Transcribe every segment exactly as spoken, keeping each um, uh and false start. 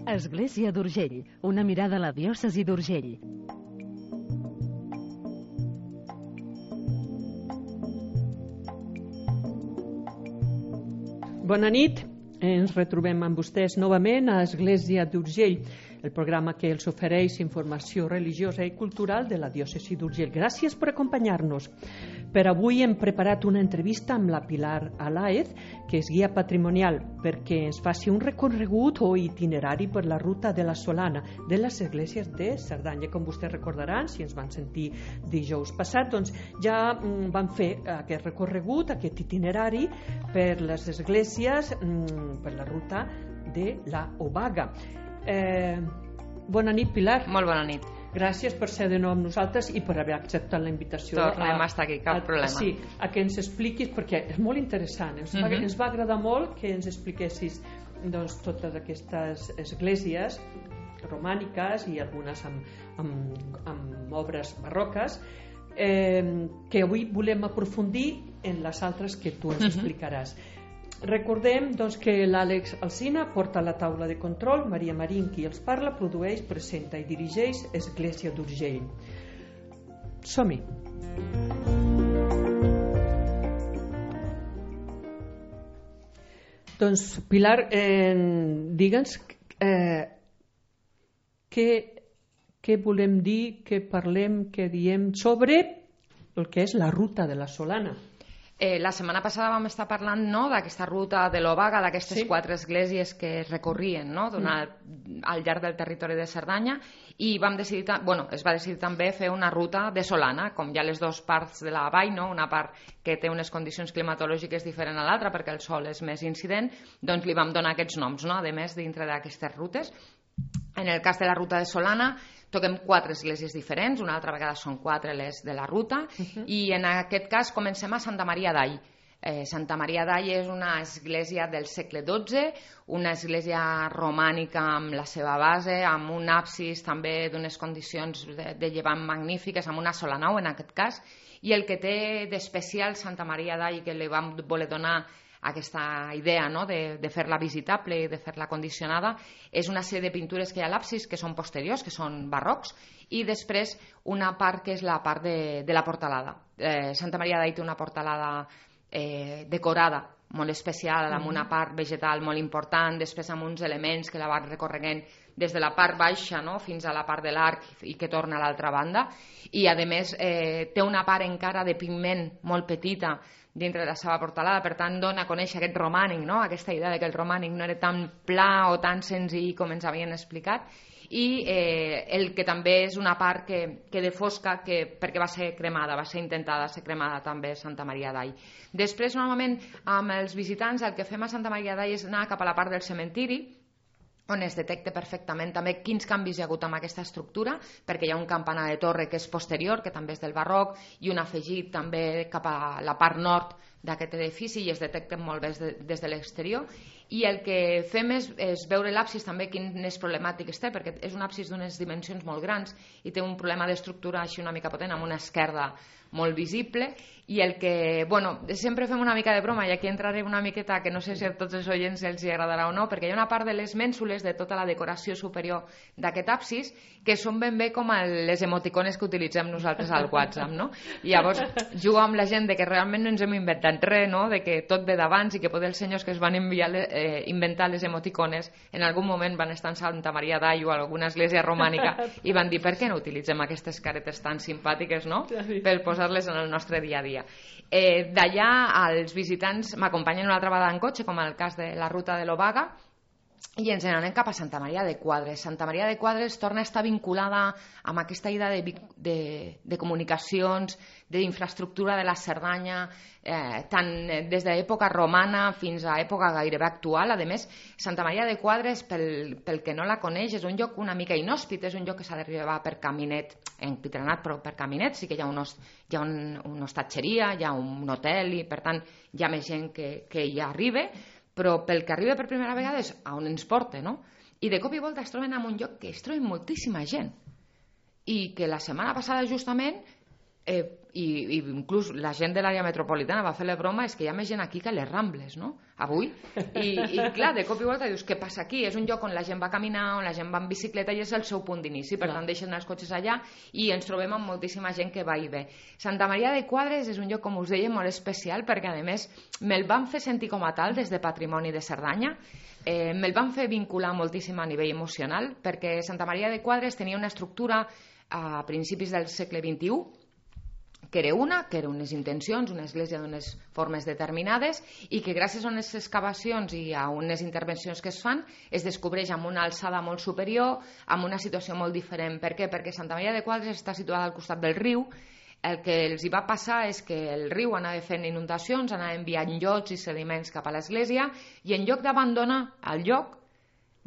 Església d'Urgell, una mirada a la diòcesi d'Urgell. Bona nit, ens retrobem amb vostès novament a Església d'Urgell, el programa que els ofereix informació religiosa i cultural de la diòcesi d'Urgell. Gràcies per acompanyar-nos. Per avui hem preparat una entrevista amb la Pilar Alaez, que és guia patrimonial, perquè ens faci un recorregut o itinerari per la ruta de la Solana de les esglésies de Cerdanya. Com vostès recordaran, si ens van sentir dijous passat, doncs ja mm, van fer aquest recorregut, aquest itinerari per les esglésies, mm, per la ruta de la Obaga. Eh, bona nit, Pilar. Molt bona nit. Gràcies per ser de nou amb nosaltres i per haver acceptat la invitació. Tornem a estar aquí, cap a, problema. Sí, a que ens expliquis, perquè és molt interessant. Ens, uh -huh. va, ens va agradar molt que ens expliquessis doncs, totes aquestes esglésies romàniques i algunes amb, amb, amb obres barroques, eh, que avui volem aprofundir en les altres que tu ens uh -huh. explicaràs. Recordem doncs, que l'Àlex Alsina porta la taula de control, Maria Marín qui els parla, produeix, presenta i dirigeix Església d'Urgell. Som-hi! Doncs, Pilar, eh, digue'ns eh, què, què volem dir, què parlem, què diem sobre el que és la ruta de la Solana. Eh, la setmana passada vam estar parlant, no?, d'aquesta ruta de l'Obaga, d'aquestes sí. quatre esglésies que es recorrien, no?, donat, mm. al llarg del territori de Cerdanya, i vam decidir, bueno, es va decidir també fer una ruta de Solana, com hi ha les dues parts de la vall, no?, una part que té unes condicions climatològiques diferents a l'altra perquè el sol és més incident, doncs li vam donar aquests noms, no?, a més dintre d'aquestes rutes. En el cas de la ruta de Solana toquem quatre esglésies diferents, una altra vegada són quatre les de la ruta, uh -huh. i en aquest cas comencem a Santa Maria d'All. Eh, Santa Maria d'All és una església del segle dotze, una església romànica amb la seva base, amb un absis també d'unes condicions de, de llevant magnífiques, amb una sola nau en aquest cas, i el que té d'especial Santa Maria d'All, que li vam voler donar aquesta idea, no?, de, de fer-la visitable i de fer-la condicionada, és una sèrie de pintures que hi ha a l'absis que són posteriors, que són barrocs, i després una part que és la part de, de la portalada. Eh, Santa Maria d'All té una portalada eh, decorada molt especial, amb una part vegetal molt important, després amb uns elements que la van recorregant des de la part baixa, no?, fins a la part de l'arc i que torna a l'altra banda, i a més eh, té una part encara de pigment molt petita dintre de la seva portalada, per tant dona a conèixer aquest romànic, no?, aquesta idea de que el romànic no era tan pla o tan senzill com ens havien explicat, i eh, el que també és una part que, que de fosca, que, perquè va ser cremada, va ser intentada ser cremada també Santa Maria d'All. Després, normalment, amb els visitants, el que fem a Santa Maria d'All és anar cap a la part del cementiri, on es detecta perfectament també quins canvis hi ha hagut amb aquesta estructura, perquè hi ha un campanar de torre que és posterior, que també és del barroc, i un afegit també cap a la part nord d'aquest edifici, i es detecten molt bé des de, des de l'exterior. I el que fem és, és veure l'absis també quines problemàtiques té, perquè és un absis d'unes dimensions molt grans i té un problema d'estructura així una mica potent, amb una esquerda molt visible, i el que, bueno, sempre fem una mica de broma, i aquí entraré una miqueta, que no sé si a tots els oients els agradarà o no, perquè hi ha una part de les mènsules de tota la decoració superior d'aquest absis que són ben bé com les emoticones que utilitzem nosaltres al WhatsApp, no? I llavors jugo amb la gent de que realment no ens hem inventat res, no?, de que tot ve d'abans, i que potser els senyors que es van enviar, eh, inventar les emoticones en algun moment van estar en Santa Maria d'All o alguna església romànica i van dir, per què no utilitzem aquestes caretes tan simpàtiques, no?, per posar-les en el nostre dia a dia. Eh, d'allà els visitants m'acompanyen una altra vegada en cotxe, com en el cas de la ruta de l'Obaga, i ens n'anem cap a Santa Maria de Quadres. Santa Maria de Quadres torna a estar vinculada amb aquesta idea de, de, de comunicacions, d'infraestructura de la Cerdanya, eh, tant des de l'època romana fins a època gairebé actual. A més, Santa Maria de Quadres, pel, pel que no la coneix, és un lloc una mica inhòspit, és un lloc que s'ha d'arribar per caminet, empitrenat, però per caminet. Sí que hi ha, un, hi ha un, una hostatgeria, hi ha un hotel, i per tant hi ha més gent que, que hi arriba, però pel que arriba per primera vegada és a on ens porta, no? I de cop i volta es troben en un lloc que es troben moltíssima gent, i que la setmana passada justament eh, i, i inclús la gent de l'àrea metropolitana va fer la broma, és que hi ha més gent aquí que a les Rambles, no? Avui. I, i clar, de cop i volta dius, què passa aquí? És un lloc on la gent va caminar, on la gent va en bicicleta i és el seu punt d'inici, per tant deixen els cotxes allà i ens trobem amb moltíssima gent que va i ve. Santa Maria de Quadres és un lloc, com us deia, molt especial perquè a més me'l van fer sentir com a tal des de Patrimoni de Cerdanya. Eh, me'l van fer vincular moltíssim a nivell emocional perquè Santa Maria de Quadres tenia una estructura a principis del segle vint-i-u que era una, que eren unes intencions, una església d'unes formes determinades i que gràcies a unes excavacions i a unes intervencions que es fan es descobreix amb una alçada molt superior, amb una situació molt diferent. Per què? Perquè Santa Maria de Quadres està situada al costat del riu. El que els hi va passar és que el riu anava fent inundacions, anava enviant llots i sediments cap a l'església i en lloc d'abandonar el lloc,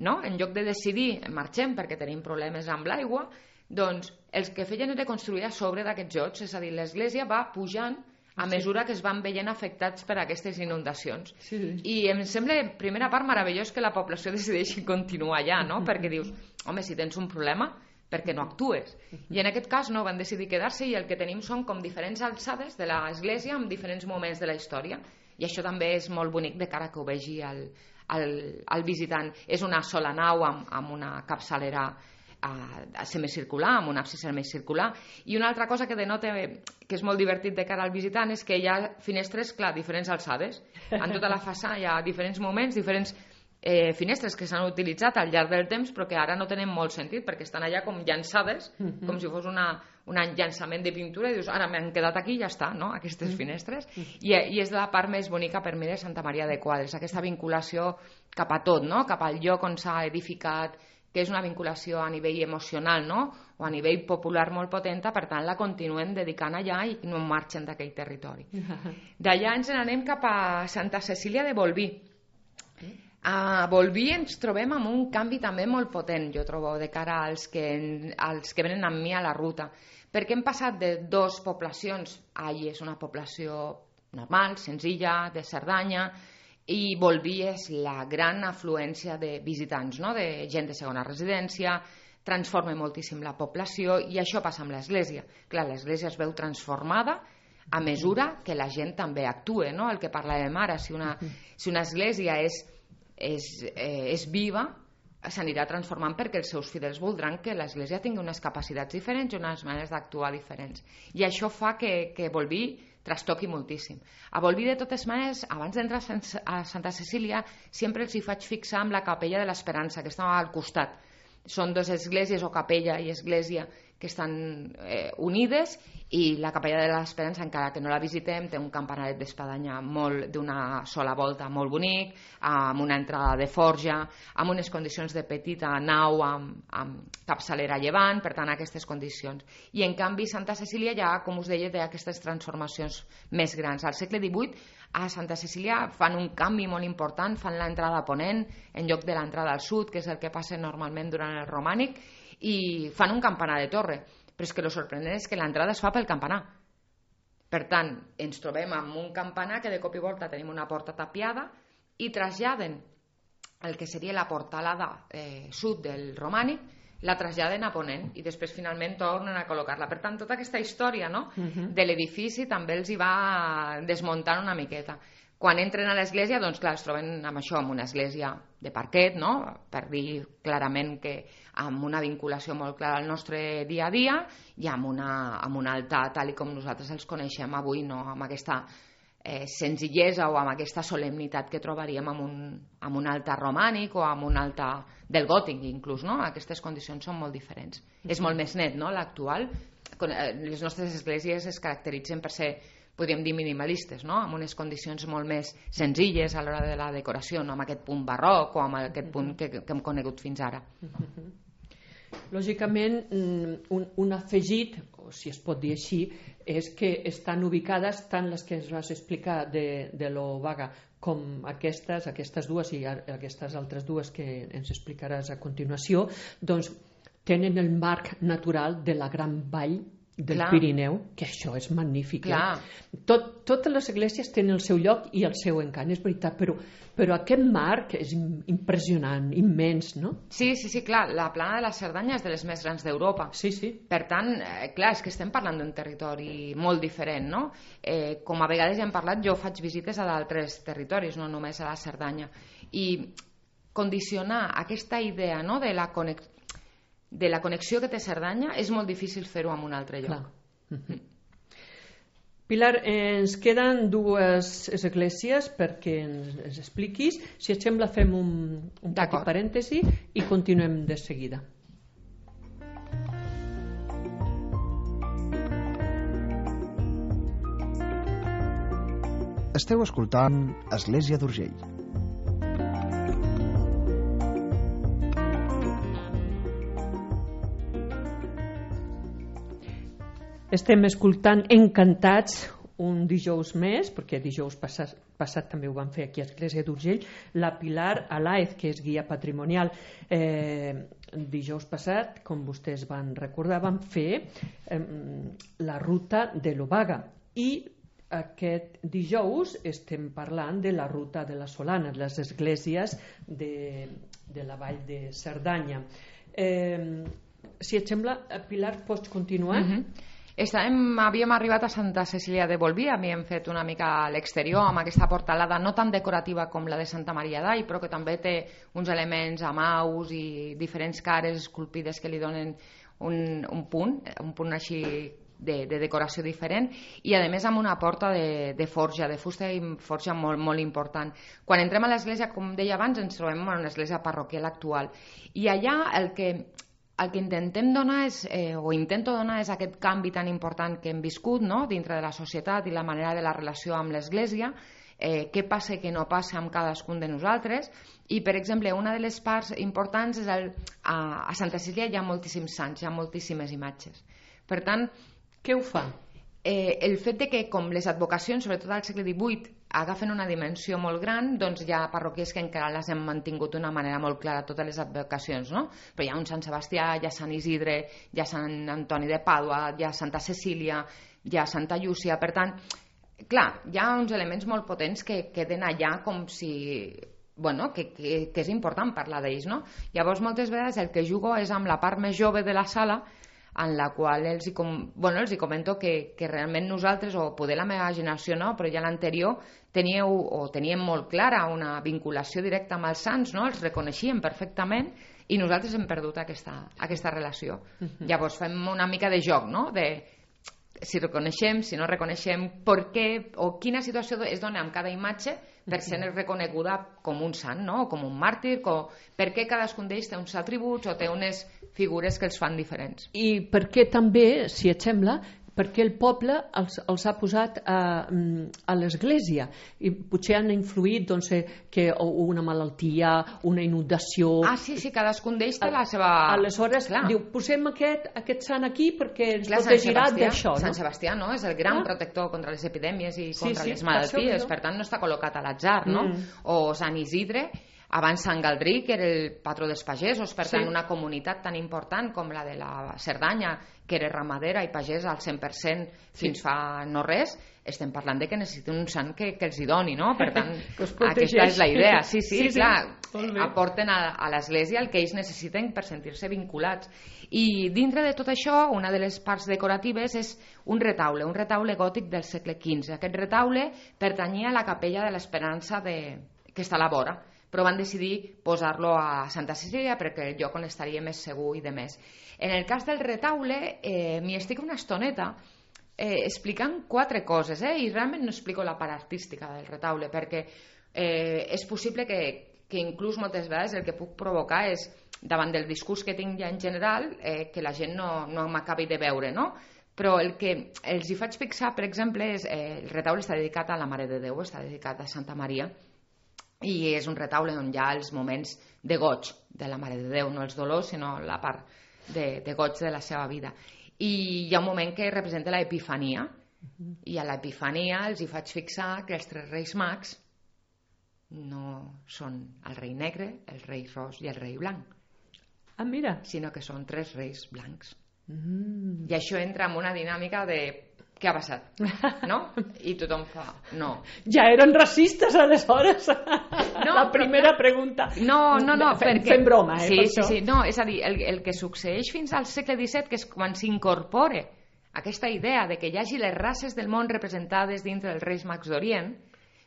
no? En lloc de decidir marxem perquè tenim problemes amb l'aigua, doncs els que feien era construir a sobre d'aquests llots, és a dir, l'església va pujant a mesura que es van veient afectats per aquestes inundacions. Sí. I em sembla, primera part, meravellós que la població decideixi continuar allà, no? Perquè dius, home, si tens un problema, per què no actues? I en aquest cas no, van decidir quedar-se i el que tenim són com diferents alçades de l'església en diferents moments de la història. I això també és molt bonic de cara que ho vegi el, el, el visitant. És una sola nau amb, amb una capçalera a semicircular, amb un absis semicircular. I una altra cosa que denota que és molt divertit de cara al visitant és que hi ha finestres, clar, diferents alçades. En tota la façana hi ha diferents moments, diferents eh, finestres que s'han utilitzat al llarg del temps però que ara no tenen molt sentit perquè estan allà com llançades, uh-huh. com si fos una, un llançament de pintura i dius, ara m'han quedat aquí i ja està, no? Aquestes uh-huh. finestres. I, I és la part més bonica per mi de Santa Maria de Quadres, aquesta vinculació cap a tot, no? Cap al lloc on s'ha edificat, que és una vinculació a nivell emocional, no? O a nivell popular molt potenta, per tant la continuen dedicant allà i no marxen d'aquell territori. D'allà ens n'anem cap a Santa Cecília de Bolvir. A Bolvir ens trobem amb un canvi també molt potent, jo trobo, de cara als que, als que venen amb mi a la ruta, perquè hem passat de dos poblacions, Ai és una població normal, senzilla, de Cerdanya, i Bolvir és la gran afluència de visitants, no? De gent de segona residència, transforma moltíssim la població i això passa amb l'església. Clar, l'església es veu transformada a mesura que la gent també actua, no? El que parlàvem ara, si una, si una església és, és, eh, és viva, s'anirà transformant perquè els seus fidels voldran que l'església tingui unes capacitats diferents i unes maneres d'actuar diferents. I això fa que, que Bolvir trastoqui moltíssim. A Bolvir, de totes maneres, abans d'entrar a Santa Cecília, sempre els hi faig fixar amb la capella de l'Esperança, que està al costat. Són dues esglésies, o capella i església, que estan eh, unides, i la capella de l'Esperança, encara que no la visitem, té un campanaret d'espadanya molt d'una sola volta molt bonic, amb una entrada de forja, amb unes condicions de petita nau amb, amb capçalera a llevant, per tant aquestes condicions. I en canvi Santa Cecília ja, com us deia, té aquestes transformacions més grans. Al segle divuit a Santa Cecília fan un canvi molt important, fan l'entrada a ponent en lloc de l'entrada al sud, que és el que passa normalment durant el romànic, i fan un campanar de torre. Però és que el sorprenent és que l'entrada es fa pel campanar. Per tant, ens trobem amb un campanar que de cop i volta tenim una porta tapiada i traslladen el que seria la portalada eh, sud del romànic, la traslladen a ponent i després finalment tornen a col·locar-la. Per tant, tota aquesta història, no? uh-huh. de l'edifici també els hi va desmuntant una miqueta. Quan entren a l'església, doncs clar, es troben amb això, amb una església de parquet, no? Per dir clarament que amb una vinculació molt clara al nostre dia a dia i amb, una, amb un altar tal i com nosaltres els coneixem avui, no? Amb aquesta eh, senzillesa o amb aquesta solemnitat que trobaríem amb un, amb un altar romànic o amb un altar del gòtic inclús, no? Aquestes condicions són molt diferents. Mm-hmm. És molt més net, no?, l'actual. Les nostres esglésies es caracteritzen per ser, podríem dir, minimalistes, no? Amb unes condicions molt més senzilles a l'hora de la decoració, no amb aquest punt barroc o amb aquest punt que, que hem conegut fins ara. Lògicament, un, un afegit, o si es pot dir així, és que estan ubicades tant les que ens vas explicar de, de l'Obaga com aquestes, aquestes dues i aquestes altres dues que ens explicaràs a continuació, doncs tenen el marc natural de la gran vall del Clar. Pirineu, que això és magnífic. Clar. Eh? Tot, totes les esglésies tenen el seu lloc i el seu encant, és veritat, però, però aquest marc és impressionant, immens, no? Sí, sí, sí, clar, la plana de la Cerdanya és de les més grans d'Europa. Sí, sí. Per tant, eh, clar, és que estem parlant d'un territori molt diferent, no? Eh, com a vegades ja hem parlat, jo faig visites a d'altres territoris, no només a la Cerdanya. I condicionar aquesta idea, no?, de la connexió de la connexió que té Cerdanya és molt difícil fer-ho en un altre lloc. Mm. Pilar, ens queden dues esglésies perquè ens, ens expliquis. Si et sembla fem un, un petit parèntesi i continuem de seguida. Esteu escoltant Església d'Urgell. Estem escoltant Encantats un dijous més, perquè dijous passat, passat també ho vam fer aquí a Església d'Urgell, la Pilar Alaez, que és guia patrimonial. Eh, dijous passat, com vostès van recordar, vam fer eh, la ruta de l'Obaga i aquest dijous estem parlant de la ruta de la Solana, les esglésies de, de la vall de Cerdanya. Eh, si et sembla, Pilar, pots continuar? Mm-hmm. Estàvem, havíem arribat a Santa Cecília de Bolvir, havíem fet una mica a l'exterior amb aquesta portalada no tan decorativa com la de Santa Maria d'Ai, però que també té uns elements amaus i diferents cares esculpides que li donen un, un punt, un punt així de, de decoració diferent, i a més amb una porta de, de forja, de fusta i forja molt, molt important. Quan entrem a l'església, com deia abans, ens trobem en una església parroquial actual, i allà el que el que intentem donar és, eh, o intento donar és aquest canvi tan important que hem viscut, no?, dintre de la societat i la manera de la relació amb l'Església, eh, què passa i què no passa amb cadascun de nosaltres. I, per exemple, una de les parts importants és el, a, a Santa Cecília hi ha moltíssims sants, hi ha moltíssimes imatges. Per tant, què ho fa? Eh, el fet de que, com les advocacions, sobretot al segle divuit, agafen una dimensió molt gran, doncs hi ha parroquies que encara les hem mantingut d'una manera molt clara, totes les advocacions, no? Però hi ha un Sant Sebastià, hi ha Sant Isidre, hi ha Sant Antoni de Pàdua, hi ha Santa Cecília, hi ha Santa Llúcia. Per tant, clar, hi ha uns elements molt potents que queden allà com si... bueno, que, que, que és important parlar d'ells, no? Llavors, moltes vegades el que jugo és amb la part més jove de la sala, en la qual els hi, com, bueno, els hi comento que, que realment nosaltres, o poder la meva generació no, però ja l'anterior, teníeu o teníem molt clara una vinculació directa amb els sants, no? Els reconeixíem perfectament i nosaltres hem perdut aquesta, aquesta relació. Uh-huh. Llavors fem una mica de joc, no? De si reconeixem, si no reconeixem, per què o quina situació es dona amb cada imatge per ser reconeguda com un sant, no? O com un màrtir, com... per què cadascun d'ells té uns atributs o té unes figures que els fan diferents. I per què també, si et sembla, perquè el poble els, els ha posat a, a l'església i potser han influït doncs, que una malaltia, una inundació... Ah, sí, sí, cadascun d'ells té la seva... Aleshores, clar, diu, posem aquest, aquest sant aquí perquè ens clar, protegirà d'això. Sant Sebastià, no? És el gran clar. protector contra les epidèmies i contra sí, sí, les malalties, per, per tant no està col·locat a l'atzar, no? Mm. O Sant Isidre, abans Sant Galdric, que era el patró dels pagesos, per tant sí. Una comunitat tan important com la de la Cerdanya, que era ramadera i pagès al cent per cent fins sí. fa no res, estem parlant de que necessiten un sant que, que els hi doni, no? Per tant, aquesta és la idea. Sí, sí, sí, sí clar, sí. aporten a, a l'Església el que ells necessiten per sentir-se vinculats. I dintre de tot això, una de les parts decoratives és un retaule, un retaule gòtic del segle quinze. Aquest retaule pertanyia a la capella de l'Esperança de... que està a la vora, però van decidir posar-lo a Santa Cecília perquè el lloc on estaria més segur i de més. En el cas del retaule, eh, m'hi estic una estoneta eh, explicant quatre coses, eh, i realment no explico la part artística del retaule, perquè eh, és possible que, que inclús moltes vegades el que puc provocar és, davant del discurs que tinc ja en general, eh, que la gent no, no m'acabi de veure, no? Però el que els hi faig fixar, per exemple, és eh, el retaule està dedicat a la Mare de Déu, està dedicat a Santa Maria, i és un retaule on hi ha els moments de goig de la Mare de Déu, no els dolors, sinó la part de, de goig de la seva vida. I hi ha un moment que representa l'Epifania, uh-huh. i a l'Epifania els hi faig fixar que els tres reis mags no són el rei negre, el rei ros i el rei blanc. Ah, mira. Sinó que són tres reis blancs. Mm. I això entra en una dinàmica de què ha passat, no? I tothom fa, no. Ja eren racistes, aleshores? No, la primera però... pregunta. No, no, no, fem, perquè... Fem broma, eh, sí, per sí, això. Sí, no, és a dir, el, el que succeeix fins al segle disset, que és quan s'incorpora aquesta idea de que hi hagi les races del món representades dintre dels Reis Mags d'Orient,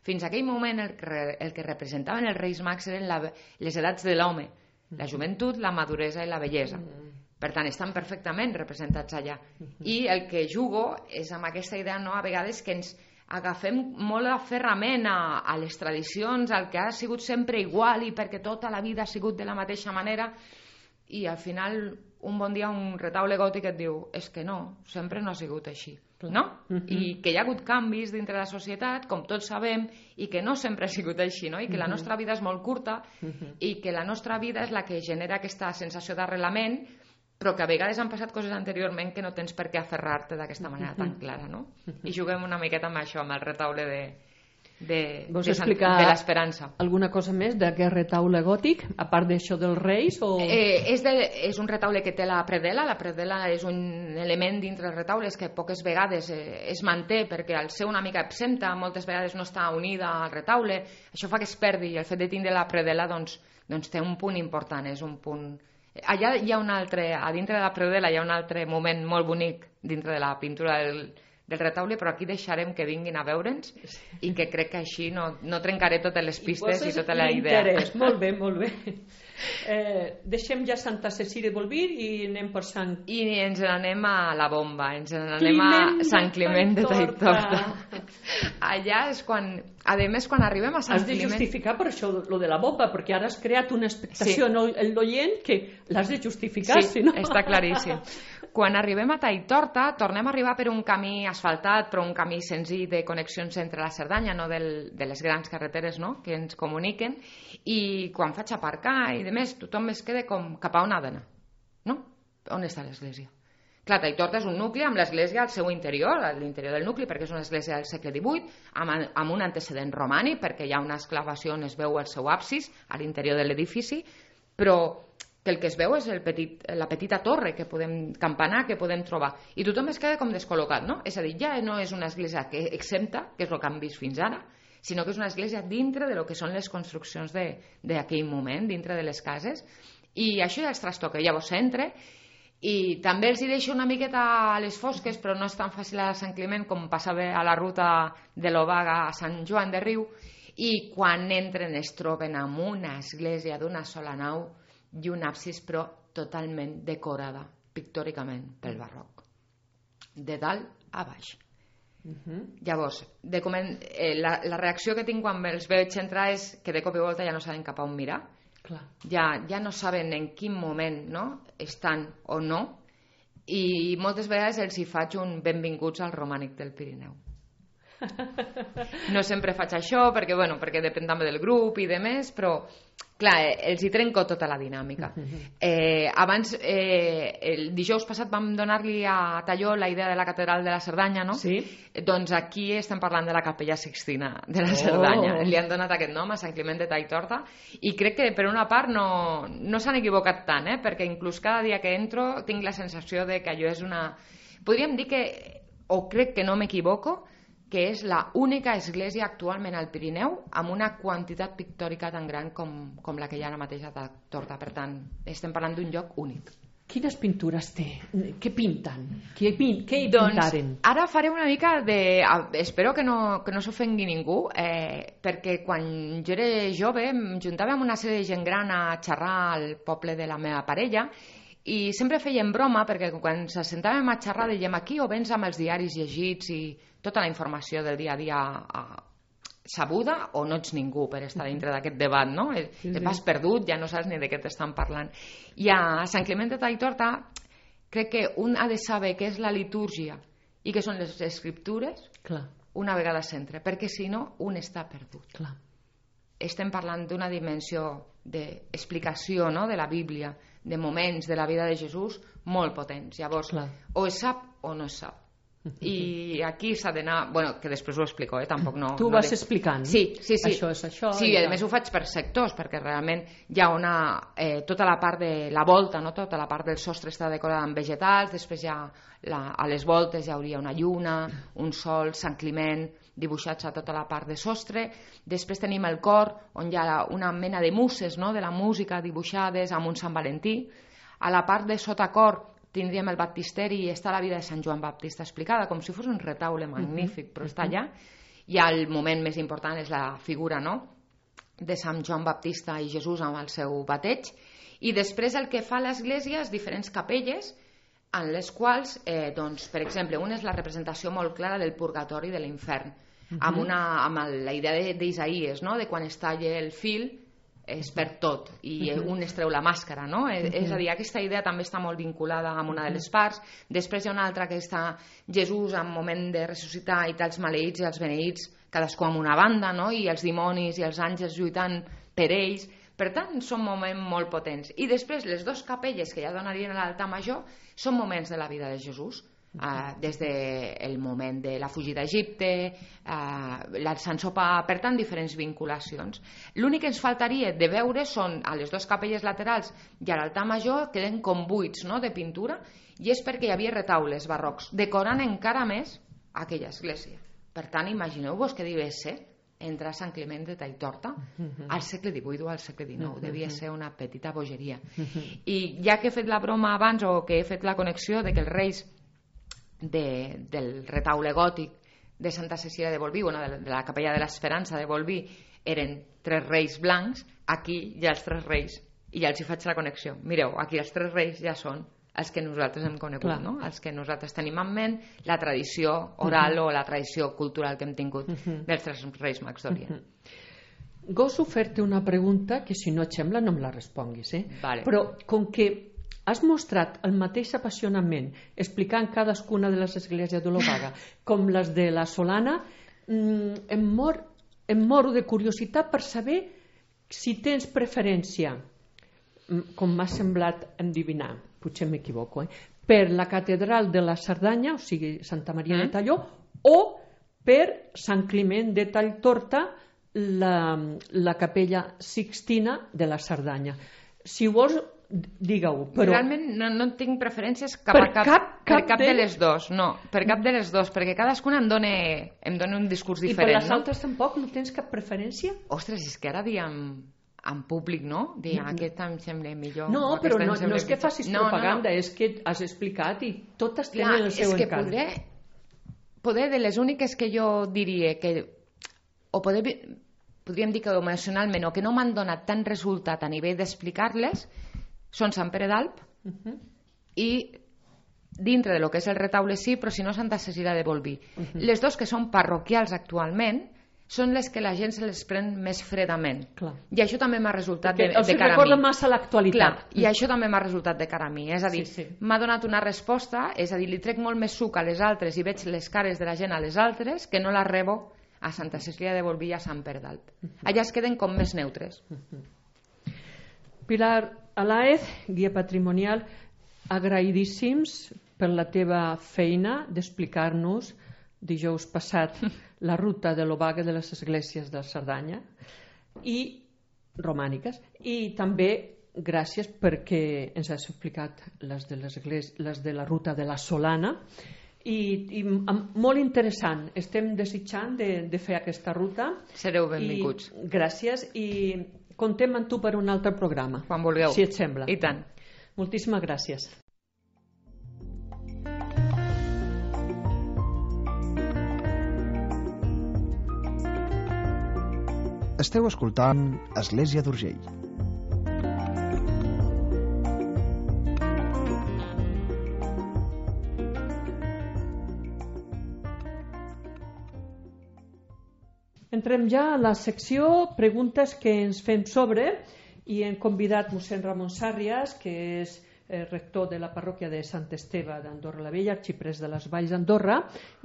fins a aquell moment el que, el que representaven els Reis Mags eren la, les edats de l'home, la joventut, la maduresa i la bellesa. Per tant, estan perfectament representats allà. I el que jugo és amb aquesta idea, no, a vegades, que ens agafem molt aferrament a, a les tradicions, al que ha sigut sempre igual i perquè tota la vida ha sigut de la mateixa manera, i al final un bon dia un retaule gòtic et diu és que no, sempre no ha sigut així, no? I que hi ha hagut canvis dintre la societat, com tots sabem, i que no sempre ha sigut així, no? I que la nostra vida és molt curta i que la nostra vida és la que genera aquesta sensació d'arrelament, però que a vegades han passat coses anteriorment que no tens per què aferrar-te d'aquesta manera tan clara, no? I juguem una miqueta amb això, amb el retaule de, de, Vols de, explicar de l'esperança. Alguna cosa més d'aquest retaule gòtic, a part d'això dels reis? O... Eh, és, de, és un retaule que té la predel·la. La predel·la és un element dintre els retaules que poques vegades eh, es manté perquè al ser una mica absenta moltes vegades no està unida al retaule. Això fa que es perdi i el fet de tindre la predel·la doncs, doncs té un punt important, és un punt... Allà hi ha un altre, a dintre de la predel·la hi ha un altre moment molt bonic dintre de la pintura del, del retaule, però aquí deixarem que vinguin a veure'ns i que crec que així no, no trencaré totes les pistes i, i tota la idea. Molt bé, molt bé. Eh, deixem ja Santa Cecília de Bolvir i anem per Sant... I ens n'anem a la bomba, ens n'anem a Sant Climent de Taitorta. Allà és quan, a més, quan arribem a Sant Climent... Has de Climent... justificar per això lo de la bomba, perquè ara has creat una expectació sí. en l'oient que l'has de justificar, sí, si no... està claríssim. Quan arribem a Taitorta, tornem a arribar per un camí asfaltat, però un camí senzill de connexions entre la Cerdanya, no del, de les grans carreteres, no?, que ens comuniquen, i quan faig aparcar i de més, tothom es queda com cap a on ha d'anar, no? On està l'església? Clar, Taitorta és un nucli amb l'església al seu interior, a l'interior del nucli, perquè és una església del segle divuit, amb, amb un antecedent romànic, perquè hi ha una exclavació on es veu el seu absis a l'interior de l'edifici, però que el que es veu és el petit, la petita torre que podem campanar, que podem trobar. I tothom es queda com descol·locat, no? És a dir, ja no és una església que exempta, que és el que han vist fins ara, sinó que és una església dintre de lo que són les construccions d'aquell moment, dintre de les cases, i això ja els trastoca. Llavors s'entra, i també els hi deixo una miqueta a les fosques, però no és tan fàcil a Sant Climent com passava a la ruta de l'Obaga a Sant Joan de Riu, i quan entren es troben amb una església d'una sola nau i un absis però totalment decorada pictòricament pel barroc, de dalt a baix. Uh-huh. Llavors, de coment, eh, la, la reacció que tinc quan els veig entrar és que de cop i volta ja no saben cap a on mirar. Clar. Ja, ja no saben en quin moment, no?, estan o no, i moltes vegades els hi faig un benvinguts al romànic del Pirineu. No sempre faig això perquè, bueno, perquè depèn també del grup i de més, però clar, els hi trenco tota la dinàmica. Eh, abans, eh, el dijous passat vam donar-li a Talló la idea de la catedral de la Cerdanya, no? Sí. Doncs aquí estem parlant de la capella Sixtina de la Cerdanya. Oh. Li han donat aquest nom a Sant Climent de Taitorta i crec que per una part no, no s'han equivocat tant, eh? Perquè inclús cada dia que entro tinc la sensació de que allò és una... Podríem dir que, o crec que no m'equivoco, que és la única església actualment al Pirineu amb una quantitat pictòrica tan gran com, com la que hi ha ara mateix a Taitorta. Per tant, estem parlant d'un lloc únic. Quines pintures té? Què pinten? Què, què hi doncs, pintaren? Ara faré una mica de... Espero que no, que no s'ofengui ningú, eh, perquè quan jo era jove em juntava amb una sèrie de gent gran a xerrar al poble de la meva parella i sempre fèiem broma perquè quan ens sentàvem a xerrar dèiem aquí o vens amb els diaris llegits i tota la informació del dia a dia sabuda o no ets ningú per estar dintre d'aquest debat, no? Sí, sí. Vas perdut, ja no saps ni de què t'estan parlant. I a Sant Climent de Taitorta crec que un ha de saber què és la litúrgia i què són les escriptures. Clar. Una vegada s'entra, perquè si no un està perdut. Clar. Estem parlant d'una dimensió d'explicació, no?, de la Bíblia, de moments de la vida de Jesús molt potents. Llavors, clar, o es sap o no es sap. I aquí s'ha d'anar... Bueno, que després ho explico, eh? Tampoc no... Tu ho no vas de... explicant. Sí, sí, sí. Això és això. Sí, i a més ho faig per sectors, perquè realment hi ha una... Eh, tota la part de la volta, no? Tota la part del sostre està decorada amb vegetals, després ja la, a les voltes hi hauria una lluna, un sol, Sant Climent, dibuixats a tota la part de sostre. Després tenim el cor, on hi ha una mena de muses, no? De la música dibuixades amb un Sant Valentí. A la part de sota cor tindríem el baptisteri i està la vida de Sant Joan Baptista explicada, com si fos un retaule magnífic, però està allà. I el moment més important és la figura, no?, de Sant Joan Baptista i Jesús amb el seu bateig. I després el que fa l'església és diferents capelles en les quals, eh, doncs, per exemple, una és la representació molt clara del purgatori i de l'infern, uh-huh. amb, una, amb el, la idea d'Isaïes, no?, de quan es talla el fil és per tot i un es treu la màscara, no? Uh-huh. És a dir, aquesta idea també està molt vinculada amb una de les parts. Després hi ha una altra que està Jesús en moment de ressuscitar i els maleïts i els beneïts, cadascú amb una banda, no? I els dimonis i els àngels lluitant per ells. Per tant, són moments molt potents. I després les dues capelles que ja donarien a l'altar major són moments de la vida de Jesús. Uh, des del moment de la fugida a Egipte, uh, el Sant Sopar, per tant, diferents vinculacions. L'únic que ens faltaria de veure són a les dues capelles laterals i a l'altar major queden com buits, no?, de pintura, i és perquè hi havia retaules barrocs, decorant encara més aquella església. Per tant, imagineu-vos què devia ser entrar a Sant Climent de Talltorta al segle divuit o al segle dinou. Devia ser una petita bogeria. I ja que he fet la broma abans, o que he fet la connexió de que els reis De, del retaule gòtic de Santa Cecília de Bolví, bueno, de la capella de l'Esperança de Bolví, eren tres reis blancs. Aquí hi ha els tres reis i ja els hi faig la connexió. Mireu, aquí els tres reis ja són els que nosaltres hem conegut, no? Els que nosaltres tenim en ment, la tradició oral uh-huh. o la tradició cultural que hem tingut uh-huh. dels tres reis Mags d'Orient. Uh-huh. Goso fer-te una pregunta que, si no et sembla, no em la responguis, eh? Vale. Però com que has mostrat el mateix apassionament explicant cadascuna de les esglésies de l'Obaga com les de la Solana, em, mor, em moro de curiositat per saber si tens preferència, com m'ha semblat endivinar, potser m'equivoco, eh? per la catedral de la Cerdanya, o sigui Santa Maria mm. de Talló, o per Sant Climent de Talltorta, la, la capella Sixtina de la Cerdanya. Si vols, digue-ho, però... Realment no, no tinc preferències cap a cap, cap, cap, per cap de... de les dos, no, per cap de les dos, perquè cadascuna em dona, em dona un discurs diferent. I per les no? altres tampoc no tens cap preferència? Ostres, és que ara diem en públic, no? Diem, aquest em sembla millor. No, però no, no és que facis no, propaganda, no, no. és que has explicat i totes tenen Clar, el seu és encant. Que poder, poder de les úniques que jo diria que, o poder, podríem dir que emocionalment, o que no m'han donat tant resultat a nivell d'explicar-les, són Sant Pere d'Alp uh-huh. i dintre de lo que és el retaule sí, però si no Santa Cecília de Bolví. Uh-huh. Les dos que són parroquials actualment són les que la gent se les pren més fredament. Clar. I això també m'ha resultat de, de cara a mi. Els recorda massa l'actualitat. Clar, i això també m'ha resultat de cara a mi. És a dir, sí, sí. m'ha donat una resposta, és a dir, li trec molt més suc a les altres i veig les cares de la gent a les altres que no la rebo a Santa Cecília de Bolví i a Sant Pere d'Alp. Uh-huh. Allà es queden com més neutres. Uh-huh. Pilar Alaez, guia patrimonial, agraïdíssims per la teva feina d'explicar-nos dijous passat la ruta de l'Obaga de les esglésies de Cerdanya i romàniques, i també gràcies perquè ens has explicat les de, les, les de la ruta de la Solana i, i molt interessant. Estem desitjant de, de fer aquesta ruta. Sereu benvinguts. I, gràcies i contem amb tu per un altre programa. Quan vulgueu. Si et sembla. I tant. Moltíssimes gràcies. Esteu escoltant Església d'Urgell. Entrem ja a la secció preguntes que ens fem sobre i hem convidat mossèn Ramon Sàrrias, que és eh, rector de la parròquia de Sant Esteve d'Andorra la Vella, arxiprès de les Valls d'Andorra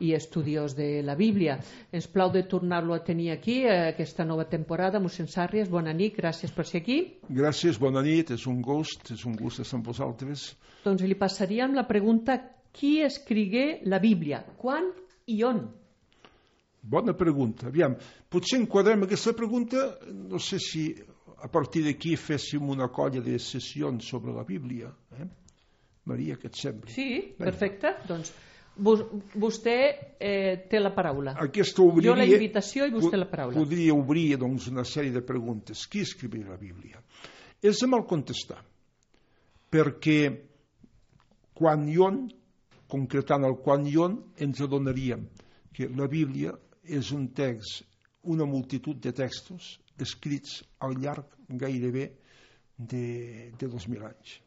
i estudiós de la Bíblia. Ens plau de tornar-lo a tenir aquí eh, aquesta nova temporada. Mossèn Sàrrias, bona nit, gràcies per ser aquí. Gràcies, bona nit, és un gust, és un gust estar amb vosaltres. Doncs li passaríem la pregunta qui escrigué la Bíblia? Quan i on? Bona pregunta. Aviam, potser enquadrem aquesta pregunta, no sé si a partir d'aquí féssim una colla de sessions sobre la Bíblia. Eh? Maria, què et sembla? Sí, perfecte. Doncs vostè eh, té la paraula. Aquesta obriria, jo la invitació i vostè la paraula. Podria obrir doncs, una sèrie de preguntes. Qui escrivia la Bíblia? És de mal contestar, perquè quan i on, concretant el quan i on, ens adonaríem que la Bíblia és un text, una multitud de textos escrits al llarg gairebé de, de dos mil anys.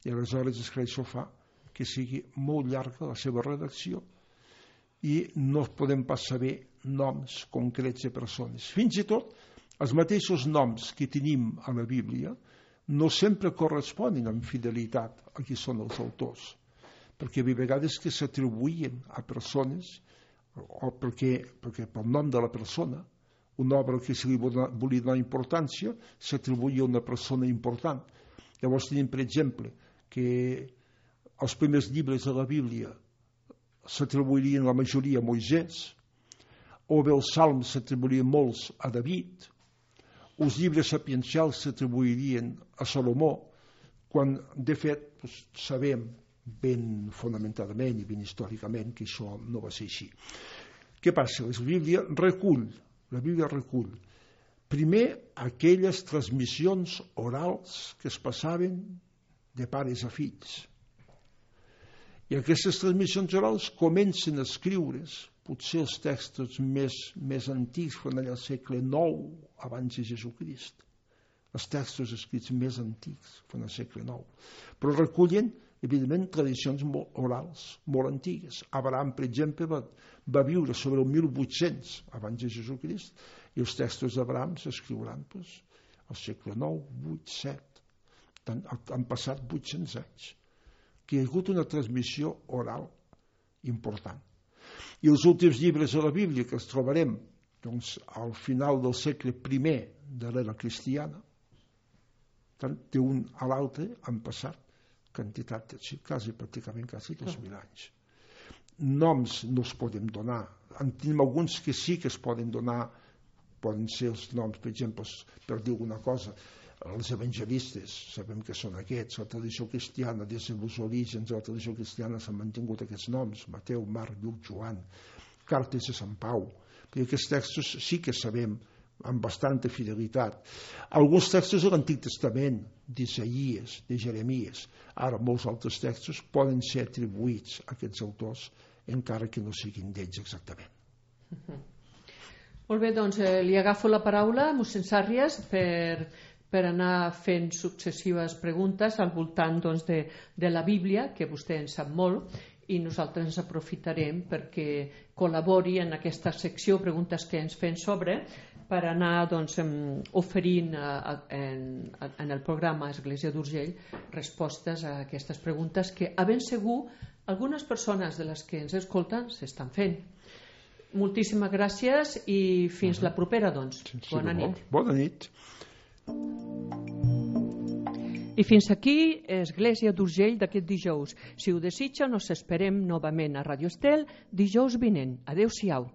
I aleshores és que això fa que sigui molt llarga la seva redacció i no podem pas saber noms concrets de persones. Fins i tot, els mateixos noms que tenim a la Bíblia no sempre corresponen amb fidelitat a qui són els autors, perquè hi ha vegades que s'atribuïen a persones o perquè, perquè pel nom de la persona, una obra que se li volia donar importància s'atribuïa a una persona important. Llavors tenim, per exemple, que els primers llibres de la Bíblia s'atribuirien la majoria a Moisès, o bé els salms s'atribuirien molts a David, els llibres sapiencials s'atribuirien a Salomó, quan de fet doncs, sabem ben fonamentadament i ben històricament que això no va ser així. Què passa? La Bíblia recull, la Bíblia recull primer aquelles transmissions orals que es passaven de pares a fills. I aquestes transmissions orals comencen a escriure's, potser els textos més, més antics van allà al segle nou abans de Jesucrist. Els textos escrits més antics van al segle nou. Però recullen, evidentment, tradicions molt orals, molt antigues. Abraham, per exemple, va, va viure sobre el mil vuit-cents abans de Jesucrist i els textos d'Abraham s'escriuran pues, al segle nou, vuit, set. Han, han passat vuit-cents anys. Que hi ha hagut una transmissió oral important. I els últims llibres de la Bíblia que els trobarem doncs, al final del segle primer de l'era cristiana, tant de un a l'altre han passat quantitat, quasi, pràcticament quasi dos mil anys. Noms no els podem donar. En tenim alguns que sí que es poden donar, poden ser els noms, per exemple, per dir alguna cosa, els evangelistes, sabem que són aquests, la tradició cristiana, des dels orígens de la tradició cristiana s'han mantingut aquests noms, Mateu, Marc, Lluc, Joan, cartes de Sant Pau, perquè aquests textos sí que sabem amb bastanta fidelitat. Alguns textos de l'Antic Testament, d'Isaïes, de Jeremies, ara molts altres textos poden ser atribuïts a aquests autors, encara que no siguin d'ells exactament. Molt bé, doncs eh, li agafo la paraula, mossèn Sàrries, per... per anar fent successives preguntes al voltant doncs, de, de la Bíblia, que vostè en sap molt, i nosaltres ens aprofitarem perquè col·labori en aquesta secció Preguntes que ens fem sobre, per anar doncs, oferint a, en, en el programa Església d'Urgell respostes a aquestes preguntes que, a ben segur, algunes persones de les que ens escolten s'estan fent. Moltíssimes gràcies i fins la propera, doncs. Sí, sí, bona nit. Bona nit. I fins aquí Església d'Urgell d'aquest dijous. Si ho desitja, nos esperem novament a Radio Estel dijous vinent. Adéu-siau.